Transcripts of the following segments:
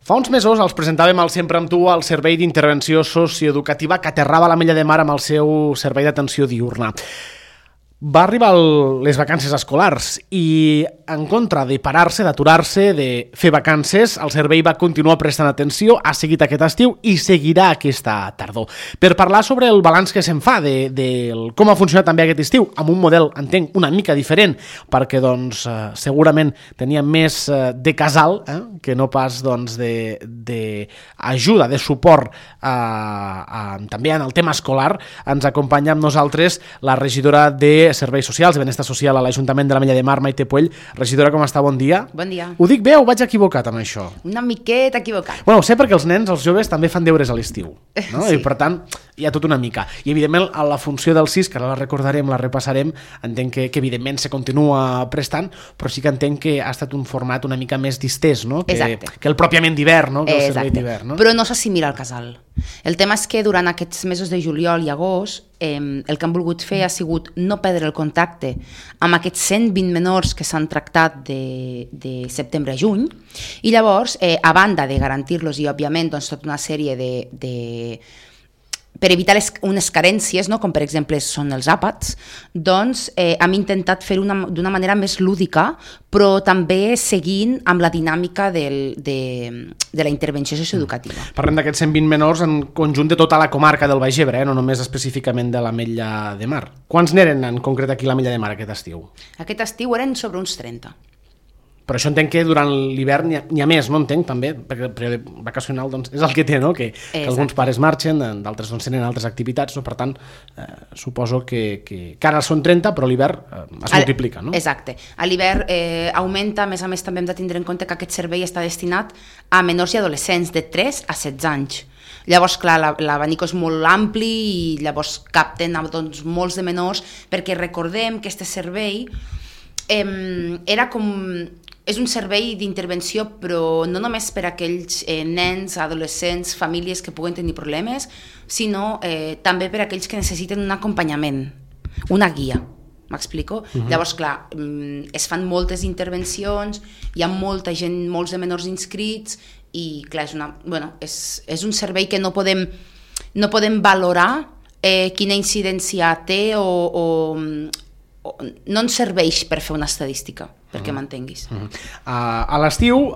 Fa uns mesos els presentàvem al Sempre amb tu el Servei d'Intervenció Socioeducativa que aterrava a l'Ametlla de Mar amb el seu servei d'atenció diurna. Va arribar les vacances escolars i en contra de parar-se, d'aturar-se, de fer vacances, el servei va continuar prestant atenció, ha seguit aquest estiu i seguirà aquesta tardor. Per parlar sobre el balanç que se'n fa de com ha funcionat també aquest estiu, amb un model, entenc, una mica diferent, perquè doncs, segurament tenia més de casal que no pas d'ajuda, de suport també en el tema escolar. Ens acompanya amb nosaltres la regidora de Serveis Socials, de Benestar Social a l'Ajuntament de l'Ametlla de Mar, Maite Puell. Regidora, com està? Bon dia. Bon dia. Ho dic bé o vaig equivocat amb això? Una miqueta equivocat. Bueno, ho sé perquè els nens, els joves, també fan deures a l'estiu, no? Sí. I per tant, hi ha tot una mica. I evidentment, a la funció del CIS, que ara la recordarem, la repassarem, entenc que evidentment se continua prestant, però sí que entenc que ha estat un format una mica més distès, no? Que el pròpiament d'hivern, no? Que el servei d'hivern, no? Però no s'assimila al casal. El tema és que durant aquests mesos de juliol i agost el que han volgut fer ha sigut no perdre el contacte amb aquests 120 menors que s'han tractat de setembre a juny i llavors, a banda de garantir-los i òbviament doncs, tota una sèrie per evitar unes carències, no? Com per exemple són els àpats, doncs hem intentat fer-ho d'una manera més lúdica, però també seguint amb la dinàmica de la intervenció socioeducativa. Parlem d'aquests 120 menors en conjunt de tota la comarca del Baix Ebre, no només específicament de l'Ametlla de Mar. Quants n'eren en concret aquí a l'Ametlla de Mar aquest estiu? Aquest estiu eren sobre uns 30. Però això entenc que durant l'hivern n'hi ha més, no entenc, també, perquè el període vacacional doncs, és el que té, no? Que alguns pares marxen, d'altres doncs, tenen altres activitats, no? Per tant, suposo que ara són 30, però l'hivern es multiplica, no? Exacte. A l'hivern augmenta, a més també hem de tindre en compte que aquest servei està destinat a menors i adolescents de 3 a 16 anys. Llavors, clar, l'abanic és molt ampli i llavors capten doncs, molts de menors, perquè recordem que aquest servei era com... És un servei d'intervenció, però no només per a aquells nens, adolescents, famílies que puguen tenir problemes, sinó també per a aquells que necessiten un acompanyament, una guia. M'explico? Llavors, clar, es fan moltes intervencions, hi ha molta gent, molts de menors inscrits, i clar, és un servei que no podem valorar quina incidència té o no ens serveix per fer una estadística, perquè m'entenguis. A l'estiu,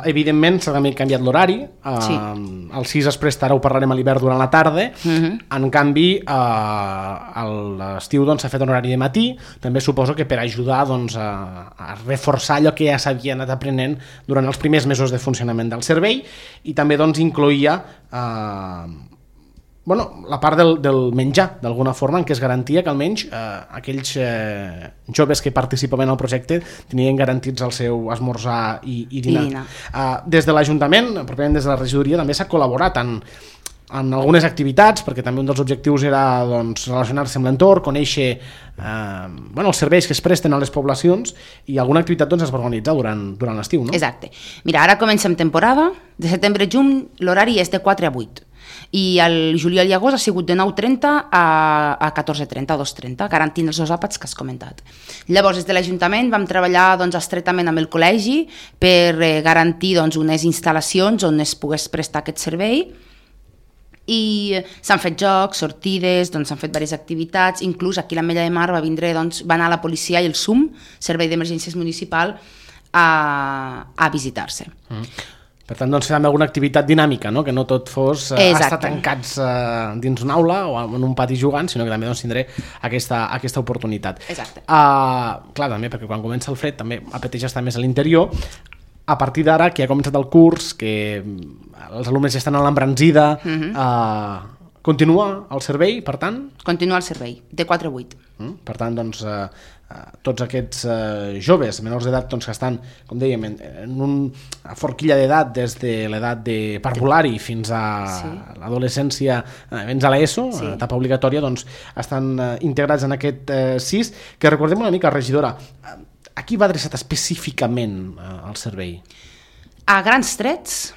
evidentment, s'ha també canviat l'horari. El CIS es presta, ara ho parlarem a l'hivern durant la tarda. En canvi, a l'estiu s'ha fet un horari de matí, també suposo que per ajudar a reforçar allò que ja s'havia anat aprenent durant els primers mesos de funcionament del servei, i també incloïa la part del menjar, d'alguna forma, en què es garantia que almenys aquells joves que participaven al projecte tenien garantits el seu esmorzar i dinar. Des de l'Ajuntament, pròpiament des de la regidoria, també s'ha col·laborat en algunes activitats, perquè també un dels objectius era relacionar-se amb l'entorn, conèixer els serveis que es presten a les poblacions, i alguna activitat es va organitzar durant l'estiu, no? Exacte. Mira, ara comencem temporada, de setembre a juny l'horari és de 4 a 8. I el juliol i agost ha sigut de 9:30 a 14:30 o 2:30, garantint els dos àpats que has comentat. Llavors, des de l'Ajuntament vam treballar estretament amb el col·legi per garantir unes instal·lacions on es pogués prestar aquest servei, i s'han fet jocs, sortides, s'han fet diverses activitats, inclús aquí a l'Ametlla de Mar va anar la policia i el SUM, Servei d'Emergències Municipal, a visitar-se. Per tant, fer alguna activitat dinàmica, no? Que no tot fos estar tancats dins una aula o en un pati jugant, sinó que també tindré aquesta oportunitat. Exacte. Clar, també, perquè quan comença el fred també apeteix estar més a l'interior. A partir d'ara, que ha començat el curs, que els alumnes ja estan a l'embranzida, continua el servei, per tant? Continua el servei, de 4 a 8. Per tant, tots aquests joves menors d'edat que estan, com dèiem, en una forquilla d'edat des de l'edat de parvulari fins a l'adolescència, fins a l'ESO, etapa obligatòria, estan integrats en aquest CIS, que recordem una mica, regidora, a qui va adreçat específicament el servei? A grans trets,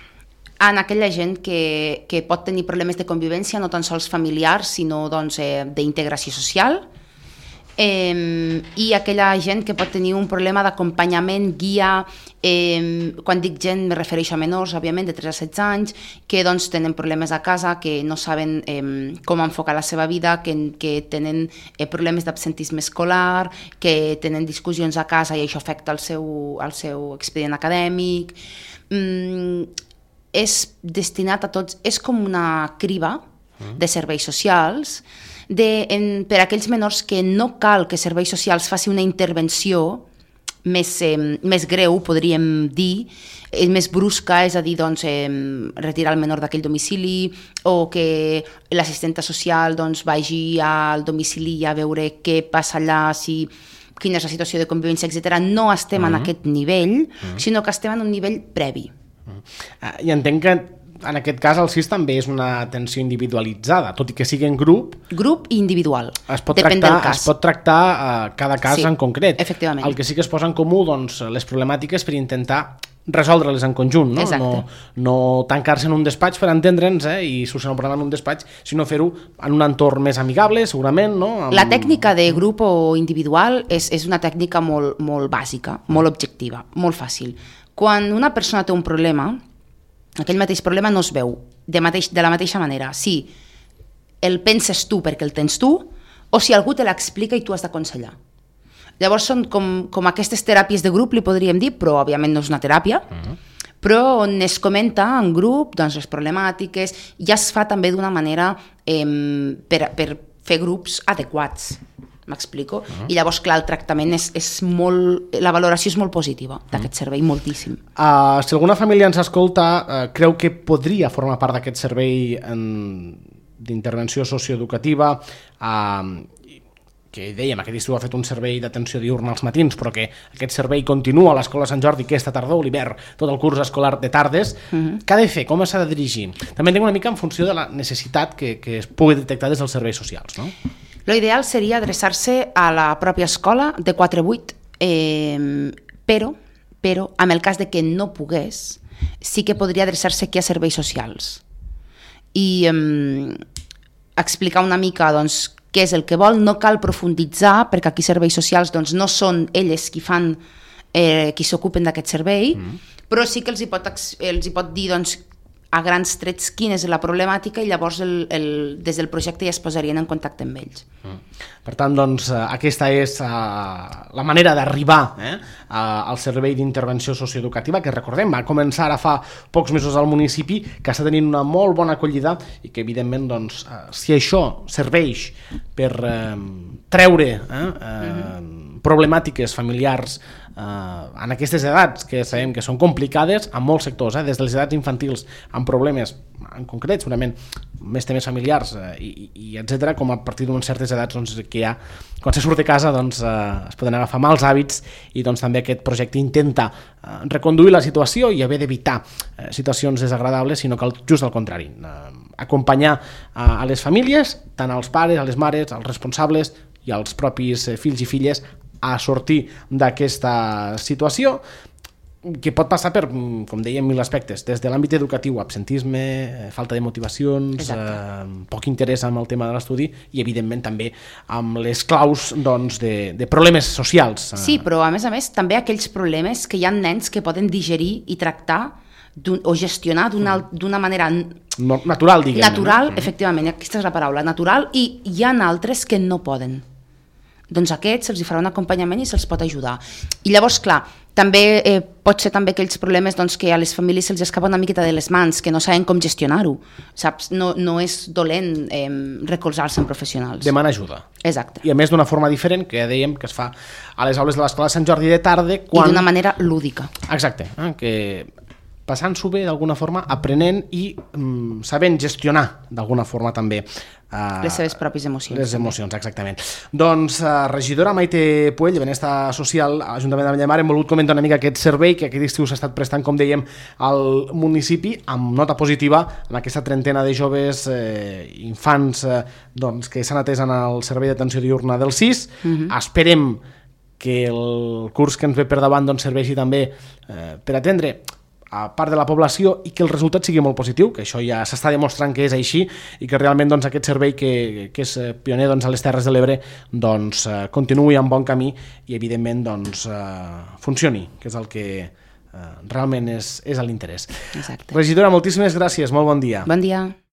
en aquella gent que pot tenir problemes de convivència, no tan sols familiars, sinó d'integració social, i aquella gent que pot tenir un problema d'acompanyament, guia, quan dic gent me refereixo a menors, òbviament, de 3 a 16 anys, que doncs, tenen problemes a casa, que no saben com enfocar la seva vida, que tenen problemes d'absentisme escolar, que tenen discussions a casa i això afecta el seu expedient acadèmic. És destinat a tots, és com una criba de serveis socials per a aquells menors que no cal que serveis socials faci una intervenció més greu, podríem dir, més brusca, és a dir, doncs, retirar el menor d'aquell domicili o que l'assistenta social doncs, vagi al domicili a veure què passa allà, quina és la situació de convivència, etc. No estem en aquest nivell, sinó que estem en un nivell previ. I entenc que en aquest cas el CIS també és una atenció individualitzada, tot i que sigui en grup. Grup i individual, depèn del cas. Es pot tractar cada cas en concret. Efectivament. El que sí que es posa en comú, doncs, les problemàtiques per intentar resoldre-les en conjunt, no? Exacte. No tancar-se en un despatx per entendre'ns i solucionar un problema en un despatx, sinó fer-ho en un entorn més amigable, segurament, no? La tècnica de grup o individual és una tècnica molt, molt bàsica, molt objectiva, molt fàcil. Quan una persona té un problema, aquell mateix problema no es veu de la mateixa manera si el penses tu perquè el tens tu o si algú te l'explica i tu has d'aconsellar. Llavors són com aquestes teràpies de grup, li podríem dir, però òbviament no és una teràpia, però on es comenta en grup doncs, les problemàtiques, ja es fa també d'una manera per fer grups adequats. M'explico? I llavors, clar, el tractament és molt... La valoració és molt positiva d'aquest servei, moltíssim. Si alguna família ens escolta, creu que podria formar part d'aquest servei d'intervenció socioeducativa, que dèiem, aquest estiu ha fet un servei d'atenció diurna als matins, però que aquest servei continua a l'Escola Sant Jordi aquesta tardor, l'hivern, tot el curs escolar de tardes, què ha de fer? Com s'ha de dirigir? També entenc una mica en funció de la necessitat que es pugui detectar des dels serveis socials, no? L'ideal seria adreçar-se a la pròpia escola de 4 a 8, però en el cas de que no pogués, sí que podria adreçar-se aquí a serveis socials i explicar una mica doncs, què és el que vol. No cal profunditzar, perquè aquí serveis socials doncs, no són elles qui s'ocupen d'aquest servei, però sí que els hi pot dir doncs, a grans trets quina és la problemàtica i llavors des del projecte ja es posarien en contacte amb ells. Per tant, doncs, aquesta és la manera d'arribar al servei d'intervenció socioeducativa, que recordem, va començar ara fa pocs mesos al municipi, que està tenint una molt bona acollida i que evidentment, doncs, si això serveix per treure problemàtiques familiars en aquestes edats que sabem que són complicades en molts sectors, des de les edats infantils amb problemes en concret, segurament més temes familiars i etc., com a partir d'unes certes edats doncs, que ja, quan se surt de casa doncs, es poden agafar mals hàbits i doncs, també aquest projecte intenta reconduir la situació i haver d'evitar situacions desagradables, sinó que just al contrari, acompanyar a les famílies, tant als pares, a les mares, als responsables i als propis fills i filles a sortir d'aquesta situació que pot passar per, com dèiem, 1000 aspectes, des de l'àmbit educatiu, absentisme, falta de motivacions, poc interès en el tema de l'estudi i, evidentment, també amb les claus doncs, de problemes socials. Sí, però, a més, també aquells problemes que hi ha nens que poden digerir i tractar o gestionar d'una manera natural, diguem. Natural, efectivament, aquesta és la paraula, natural, i hi ha altres que no poden. Doncs a aquests se'ls farà un acompanyament i se'ls pot ajudar. I llavors, clar, també pot ser també aquells problemes doncs, que a les famílies se'ls escapa una miqueta de les mans, que no saben com gestionar-ho, saps? No és dolent recolzar-se en professionals. Demana ajuda. Exacte. I a més d'una forma diferent, que ja dèiem que es fa a les aules de l'Escola Sant Jordi de tarda. I d'una manera lúdica. Exacte, que passant-s'ho bé d'alguna forma, aprenent i sabent gestionar d'alguna forma també les seves pròpies emocions. Les emocions, exactament. Doncs, regidora Maite Puell, de Benestar Social, Ajuntament de Bellemar, hem volgut comentar una mica aquest servei que aquest estiu s'ha estat prestant, com dèiem, al municipi, amb nota positiva en aquesta trentena de joves infants doncs, que s'han atès en el servei d'atenció diurna del CIS. Esperem que el curs que ens ve per davant doncs, serveixi també per atendre a part de la població i que el resultat sigui molt positiu, que això ja s'està demostrant que és així i que realment doncs, aquest servei que és pioner doncs, a les Terres de l'Ebre doncs, continuï en bon camí i evidentment doncs, funcioni, que és el que realment és a l'interès. Exacte. Regidora, moltíssimes gràcies, molt bon dia. Bon dia.